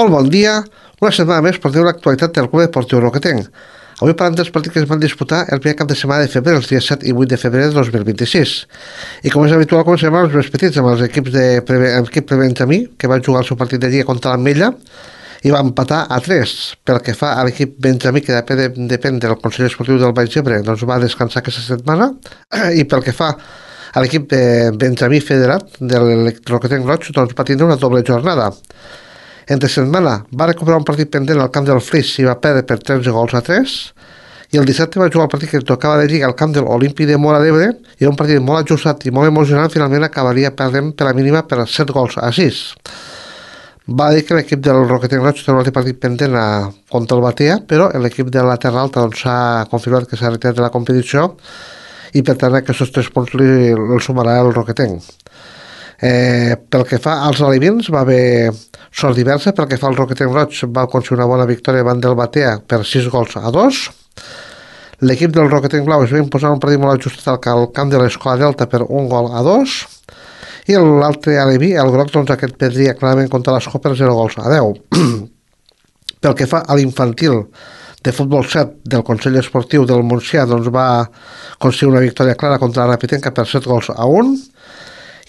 Molt bon dia, una setmana més porteu l'actualitat del Club Esportiu Roquetenc. Avui parlem dels partits que es van disputar el primer cap de setmana de febrer, els dies 7 i 8 de febrer de 2026. I com és habitual, comencem amb els més petits, amb els equips de l'equip Benjamí, que va jugar el seu partit de lliga contra l'Ametlla i va empatar a 3. Pel que fa a l'equip Benjamí, que depèn del Consell Esportiu del Baix Ebre, doncs va descansar aquesta setmana. I pel que fa a l'equip de Benjamí Federat del Roquetenc Roig, doncs va tindre una doble jornada. Entre setmana va recuperar un partit pendent al camp del Flix i va perdre per 13-3, i el dissabte va jugar el partit que tocava de lliga al camp de l'Olímpic de Móra d'Ebre, i un partit molt ajustat i molt emocionant. Finalment acabaria perdent per la mínima per 7-6. Va dir que l'equip del Roquetenc Roig té un altre partit pendent contra el Batea, però l'equip de la Terra Alta s'ha confirmat que s'ha retirat de la competició i per tant aquests 3 punts li sumarà el Roquetenc. Pel que fa als alevins va haver sort diversa. Pel que fa al Roquetenc Roig va aconseguir una bona victòria davant del Batea per 6-2. L'equip del Roquetenc Blau es va imposar un partit molt ajustat al camp de l'Escola Delta per 1-2, i l'altre aleví, el groc, doncs aquest perdria clarament contra l'Escola per 0-10. Pel que fa a l'infantil de futbol 7 del Consell Esportiu del Montsià, doncs va aconseguir una victòria clara contra la Rapitenca per 7-1.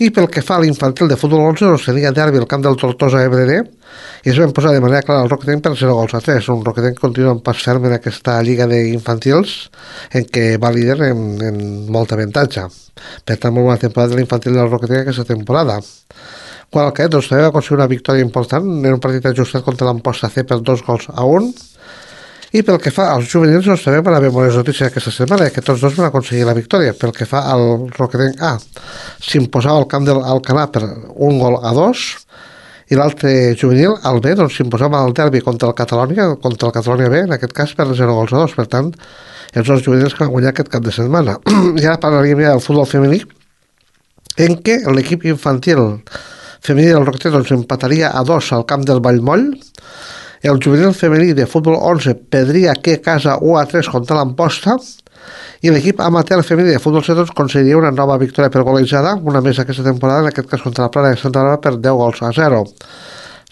I pel que fa a l'infantil de futbol 11, doncs tenia derbi al camp del Tortosa EBD i es va imposar de manera clara el Roquetenc per 0-3. Un Roquetenc que continua en pas ferm en aquesta lliga d'infantils en què va líder en molt avantatge. Per tant, molt bona temporada de l'infantil del Roquetenc aquesta temporada. Quan el Caet, doncs, també va aconseguir una victòria important en un partit ajustat contra l'Amposta C per 2-1. I pel que fa als juvenils, doncs també van haver bones notícies aquesta setmana, que tots dos van aconseguir la victòria. Pel que fa al Roquetenc A, s'imposava al camp del Alcanar per 1-2, i l'altre juvenil, el B, doncs s'imposava al derbi contra el Catalònia B, en aquest cas per 0-2. Per tant, els dos juvenils que van guanyar aquest cap de setmana. I ara parlaríem ja del futbol femení, en què l'equip infantil femení del Roquetenc doncs empataria a 2 al camp del Vallmoll. El juvenil femení de futbol 11 perdria a casa 1-3 contra l'Amposta, i l'equip amateur femení de futbol 7 aconseguiria una nova victòria per golejada, una més aquesta temporada, en aquest cas contra la Plana de Santa Bàrbara per 10-0.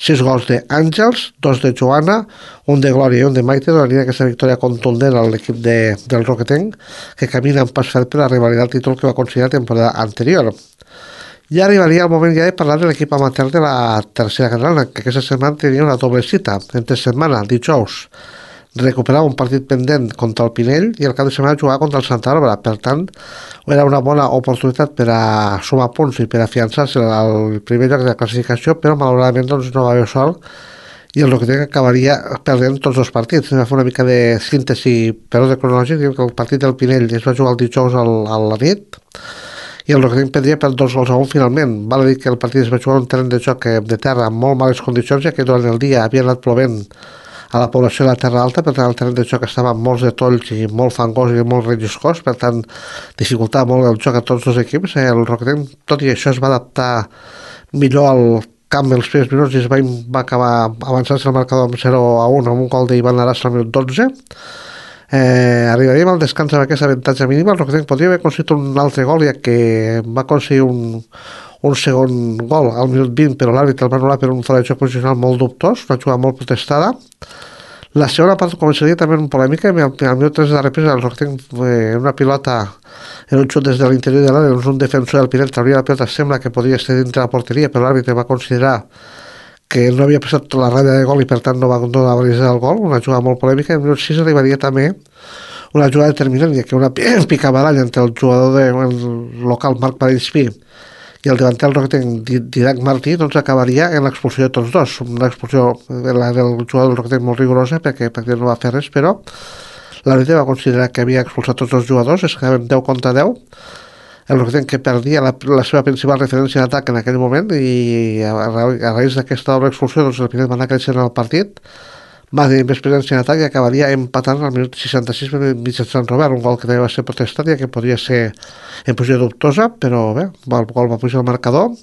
6 gols d'Àngels, 2 de Joana, un de Glòria i un de Maite donaria aquesta victòria contundent a l'equip del Roquetenc, que camina en pas ferm per a revalidar el títol que va aconseguir la temporada anterior. Ja arribaria el moment ja de parlar de l'equip amateur de la tercera catalana, que aquesta setmana tenia una doble cita. Entre setmana, dijous, recuperava un partit pendent contra el Pinell i el cap de setmana jugava contra el Santa Bàrbara. Per tant, era una bona oportunitat per a sumar punts i per a afiançar-se al primer lloc de la classificació, però malauradament doncs, no va haver sort i el Roquetenc acabaria perdent tots els partits. Va fer una mica de síntesi per ordre cronològic. El partit del Pinell es va jugar el dijous a la nit, i el Roquetenc perdria per 2-1 finalment. Val a dir que el partit es va jugar en un terreny de joc de terra amb molt males condicions, ja que durant el dia havia anat plovent a la població de la Terra Alta. Per tant, el terreny de joc estava amb molts de tolls i molt fangós i molt relliscós, per tant, dificultava molt el joc a tots els equips. El Roquetenc, tot i això, es va adaptar millor al camp els primers minuts i va acabar avançant-se el marcador amb 0-1 amb un gol d'Ivan Arassa al minut 12. Arribaríem al descans amb aquest avantatge mínima. El Roquetenc podria haver aconseguit un altre gol, ja que va aconseguir un segon gol al minut 20, però l'àrbitre el va anul·lar per un fora de joc posicional molt dubtós, una jugada molt protestada. La segona part començaria també en polèmica. Al minut 3 de la represa, el Roquetenc una pilota en un xut des de l'interior de l'àrea, un defensor del Pinell trauria la pilota, sembla que podria estar dintre la porteria, però l'àrbitre va considerar que no havia passat la ratlla de gol i per tant no va validir el gol. Una jugada molt polèmica. En minut 6 arribaria també una jugada determinant, ja que una picabaralla entre el jugador local Marc Parellspí i el davanter del Roquetenc Didac Martí doncs acabaria en l'expulsió de tots dos. Una expulsió del jugador del Roquetenc molt rigorosa, perquè pràcticament no va fer res, però l'àrbitre va considerar que havia expulsat tots els jugadors. Es quedaven 10-10. El Roquetenc que perdia la seva principal referència d'atac en aquell moment, i a raïs d'aquesta doble expulsió doncs el Pinell va anar creixent el partit, va tenir més presència en atac i acabaria empatant al minut 66 mitjançant Robert, un gol que també va ser protestat, ja que podria ser en posició dubtosa, però bé, el gol va pujar al marcador.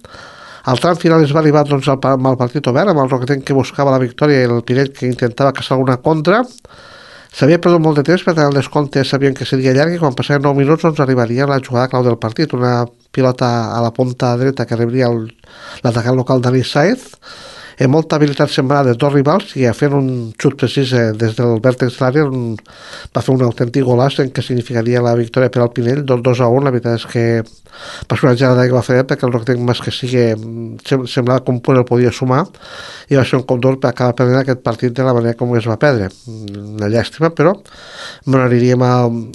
Al tram final es va arribar doncs, amb el partit obert, amb el Roquetenc que buscava la victòria i el Pinell que intentava caçar alguna contra. S'havia perdut molt de temps, per tant el descompte sabien que seria llarg, i quan passaven 9 minuts doncs arribaria la jugada clau del partit, una pilota a la punta dreta que rebria l'atacant local Dani Saez, amb molta habilitat sembrada de dos rivals i fent un xut precís des del vèrtex de l'àrea va fer un autèntic golaç en què significaria la victòria per al Pinell, 2-1. La veritat és que va ser una gelada que va fer perquè el Roquetenc més que sigui semblava que un punt el podia sumar i va ser un cop d'or per acabar perdent aquest partit de la manera com es va perdre. Una llàstima, però m'aniríem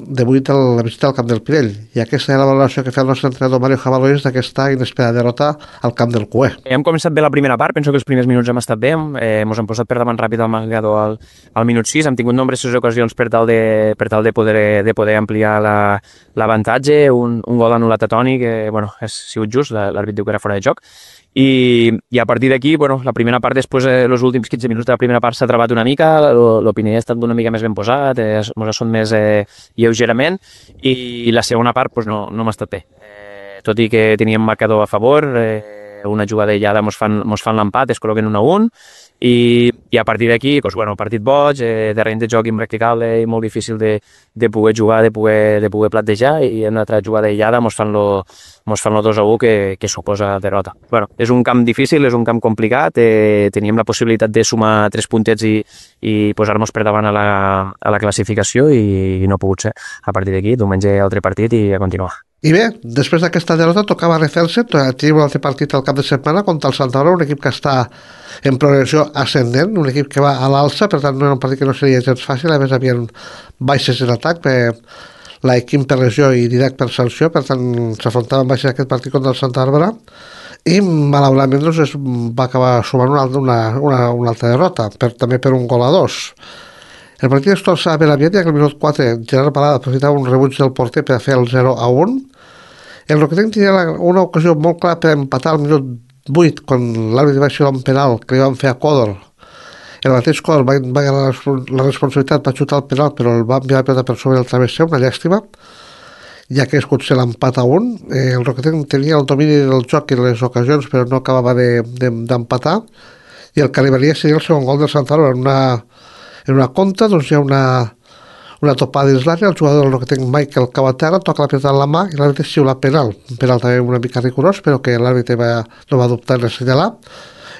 de 8 a la visita al camp del Pinell, i aquesta era la valoració que feia el nostre entrenador Mario Jabalois d'aquesta inesperada derrota al camp del Cué. Hem començat bé la primera part, penso que els primers minuts hem estat bé, ens hem posat per davant ràpid al marcador al minut 6, hem tingut nombroses ocasions per tal de poder ampliar l'avantatge, un gol anul·lat a Toni, que ha sigut just, l'àrbit diu que era fora de joc, i a partir d'aquí, la primera part, després, els últims 15 minuts de la primera part s'ha trebat una mica, l'Opinell ha estat una mica més ben posat, ens ha sonat més lleugerament, i la segona part no m'ha estat bé. Tot i que teníem marcador a favor, una jugada aïllada mos fan l'empat, es col·loquen 1-1, i a partir d'aquí, partit boig, terreny de joc impracticable i molt difícil de poder jugar, de poder plattejar, i en una altra jugada aïllada mos fan lo 2-1 que suposa derrota. És un camp difícil, és un camp complicat, teníem la possibilitat de sumar 3 puntets i posar-nos per davant a la classificació, i no ha pogut ser. A partir d'aquí, diumenge altre partit i a continuar. I bé, després d'aquesta derrota tocava refer-se, tenim un altre partit al cap de setmana contra el Santa Bàrbara, un equip que està en progressió ascendent, un equip que va a l'alça, per tant no era un partit que no seria gens fàcil, a més havien baixes en atac, l'Equim per lesió i Didac per sanció, per tant s'afrontaven baixes aquest partit contra el Santa Bàrbara, i malauradament es va acabar sumant una altra derrota, també per 1-2. El partit es torçava ben aviat, ja que al minut 4 Gerard Balada aprofitava un rebuig del porter per fer el 0-1. El Roquetenc tenia una ocasió molt clara per empatar al minut 8, quan l'àrbitre va xiular un penal que li van fer a Còdor. El mateix Còdor va agafar la responsabilitat, va xutar el penal, però el va enviar la pelota per sobre del travesser, una llàstima, ja que es potser l'empat a 1. El Roquetenc tenia el domini del joc i les ocasions, però no acabava d'empatar, i el que arribaria seria el segon gol del Santa Bàrbara en una contra. Hi ha una topada dins l'àrea, el jugador del Roquetenc Michael Cabatera toca la pilota en la mà i l'àrbitre xiula penal, un penal també una mica rigorós, però que l'àrbitre no va dubtar en assenyalar,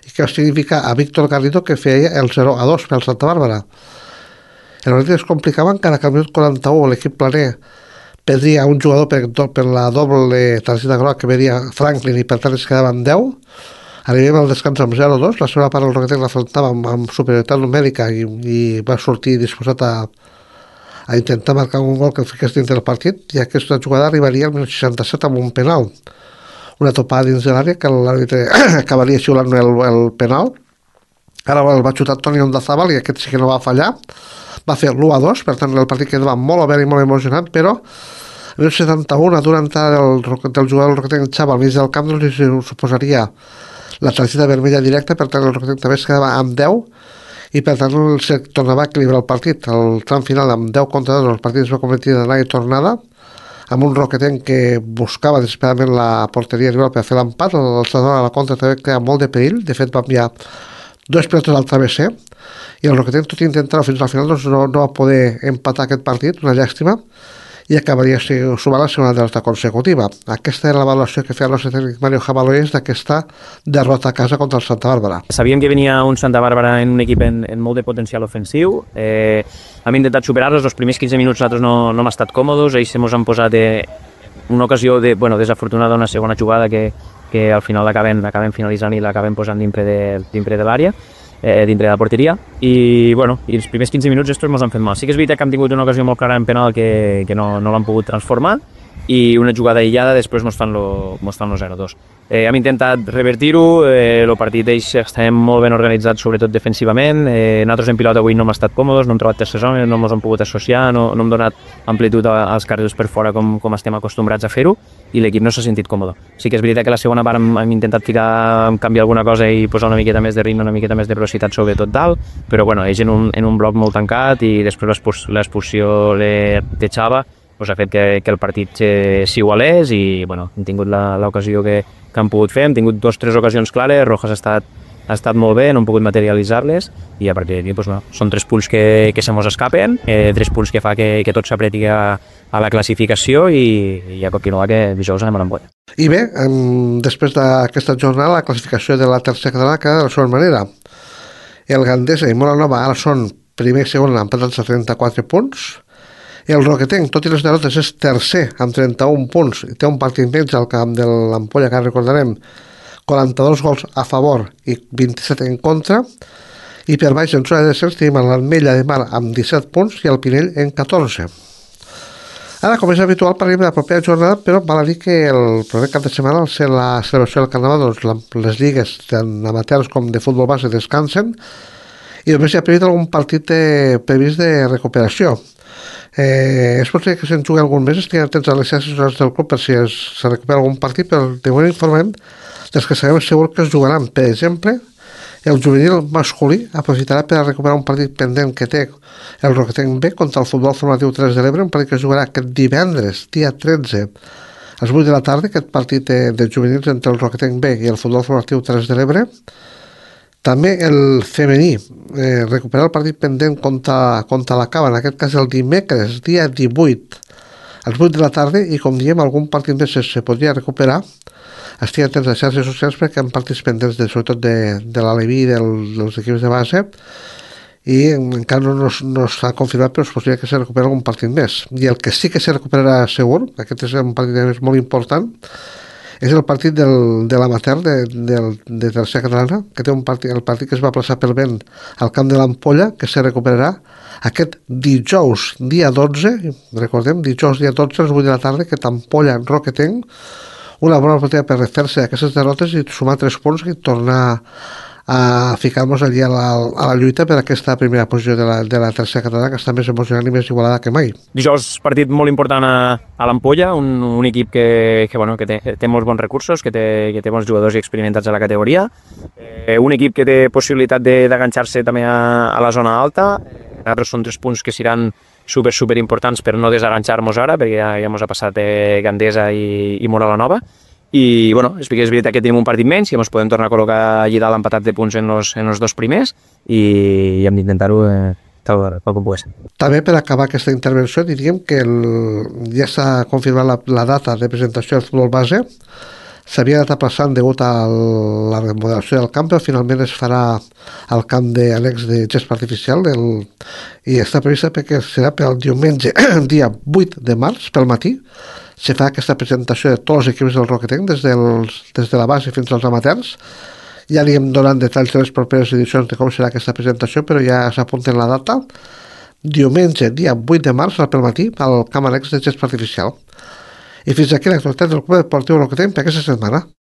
i que significa a Víctor Garrido, que feia el 0-2 per al Santa Bàrbara. El partit es complicava encara que al minut 41 l'equip planer perdria un jugador per la doble targeta groga que veria Franklin, i per tant es quedava amb 10. Arribem al descans amb 0-2, la segona part el Roquetenc l'afrontava amb superioritat numèrica i va sortir disposat a intentar marcar un gol que el fiqués dins del partit, i aquesta jugada arribaria al 1967 amb un penal, una topada dins de l'àrea que l'àrbitre acabaria xiulant el penal. Ara el va xutar Toni Ondazabal, i aquest sí que no va fallar, va fer l'1-2, per tant el partit quedava molt obert i molt emocionant, però el 1971, a d'una entrada del jugador del Roquetenc Xava al mig del camp, li suposaria la targeta vermella directa, per tant el Roquetenc també es quedava amb 10, i per tant se tornava a equilibrar el partit. El tram final amb 10-2 el partit es va convertir en anada i tornada, amb un Roquetenc que buscava desesperadament la porteria rival per fer l'empat. El Santa a la contra també creava molt de perill, de fet va enviar 2 pilotes al travesser, i el Roquetenc, tot i intentar-ho fins al final, no va poder empatar aquest partit, una llàstima, i acabaria sumant la segona derrota consecutiva. Aquesta era la valoració que feia el nostre tècnic Mario Jabalois d'aquesta derrota a casa contra el Santa Bàrbara. Sabíem que venia un Santa Bàrbara en un equip en molt de potencial ofensiu. Hem intentat superar-los, els primers 15 minuts nosaltres no hem estat còmodes, ells ens han posat una ocasió desafortunada, una segona jugada que al final l'acaben finalitzant i l'acaben posant dintre de l'àrea, dintre de la porteria, i els primers 15 minuts estos ens han fet mal. Sí que és veritat que hem tingut una ocasió molt clara en penal que no l'han pogut transformar, i una jugada aïllada després ens fan lo 0-2. Hem intentat revertir-ho, el partit d'ells estem molt ben organitzats, sobretot defensivament. Nosaltres en pilota avui no hem estat còmodes, no hem trobat terces homes, no ens hem pogut associar, no hem donat amplitud als carrils per fora com estem acostumbrats a fer-ho, i l'equip no s'ha sentit còmode. Sí que és veritat que la segona part hem intentat canviar alguna cosa i posar una miqueta més de ritme, una miqueta més de velocitat, sobretot dalt, però ells en un bloc molt tancat, i després l'expulsió de Xava ha fet que el partit s'igualés, i hem tingut l'ocasió que hem pogut fer. Hem tingut 2 o 3 ocasions clares, Rojas ha ha estat molt bé, no hem pogut materialitzar-les i a partir d'aquí doncs, són 3 punts que se mos escapen, 3 punts que fa que tot s'apreti a la classificació i a continuar que dijous anem a l'Ampolla. I bé, després d'aquesta jornada la classificació de la tercera catalana queda de la següent manera. El Gandesa i Moranova ara són primer i segon empatats a 34 punts. El Roquetenc, tot i les derrotes, és tercer amb 31 punts i té un partit menys al camp de l'Ampolla, que recordarem 42 gols a favor i 27 en contra, i per baix en zona de descens tenim l'Ametlla de Mar amb 17 punts i el Pinell en 14. Ara, com és habitual, parlem de la propera jornada, però val a dir que el proper cap de setmana, al ser la celebració del Carnaval, doncs les lligues tant amateurs com de futbol base descansen i només hi ha previst algun partit previst de recuperació. És possible que se'n jugui algun mes, estiguin atents a les xarxes socials del club per si se recupera algun partit, però de moment informem dels que sabem segur que es jugaran. Per exemple, el juvenil masculí aprofitarà per a recuperar un partit pendent que té el Roquetenc B contra el Futbol Formatiu 3 de l'Ebre, un partit que es jugarà aquest divendres, dia 13, a les 8 de la tarda, aquest partit de juvenils entre el Roquetenc B i el Futbol Formatiu 3 de l'Ebre. També el femení recuperar el partit pendent contra la Cava, en aquest cas el dimecres, dia 18, a les 8 de la tarda, i com diem, algun partit més se podria recuperar. Estic atents a les xarxes socials perquè hi ha partits pendents, sobretot de l'Aleví i dels equips de base, i encara no s'ha confirmat, però és possible que se recuperi algun partit més. I el que sí que se recuperarà segur, aquest és un partit molt important, és el partit de l'amateur de tercera catalana, que té el partit que es va plaçar pel vent al camp de l'Ampolla, que se recuperarà aquest dijous, dia 12, recordem, dijous, dia 12, a les 8 de la tarda, que Ampolla Roquetenc, una bona oportunitat per refer-se aquestes derrotes i sumar 3 punts i tornar a ficar-nos allí a la lluita per aquesta primera posició de la tercera catalana, que està més emocionant i més igualada que mai. Dijous, partit molt important a l'Ampolla, un equip que té molts bons recursos, que té bons jugadors i experimentats a la categoria, un equip que té possibilitat d'enganxar-se també a la zona alta. Nosaltres són 3 punts que seran super importants per no desenganxar-nos ara, perquè ja ens ha passat Gandesa i Moranova. I bueno, és veritat que tenim un partit menys i ens podem tornar a col·locar allí dalt empatats de punts en els 2 primers i hem d'intentar-ho tal com pugui ser. També per acabar aquesta intervenció diríem que ja s'ha confirmat la data de presentació del futbol base. S'havia anat aplaçant degut a la remodelació del camp, però finalment es farà al camp d'annex de gespa artificial i està prevista perquè serà per al diumenge, dia 8 de març, pel matí. Se fa aquesta presentació de tots els equips del Roquetenc, des de la base fins als amateurs. Ja li hem donat detalls de les properes edicions de com serà aquesta presentació, però ja s'apunten la data. Diumenge, dia 8 de març, al matí, al camp annex de gespa artificial. I fins aquí l'actualitat del Club Esportiu Roquetenc per aquesta setmana.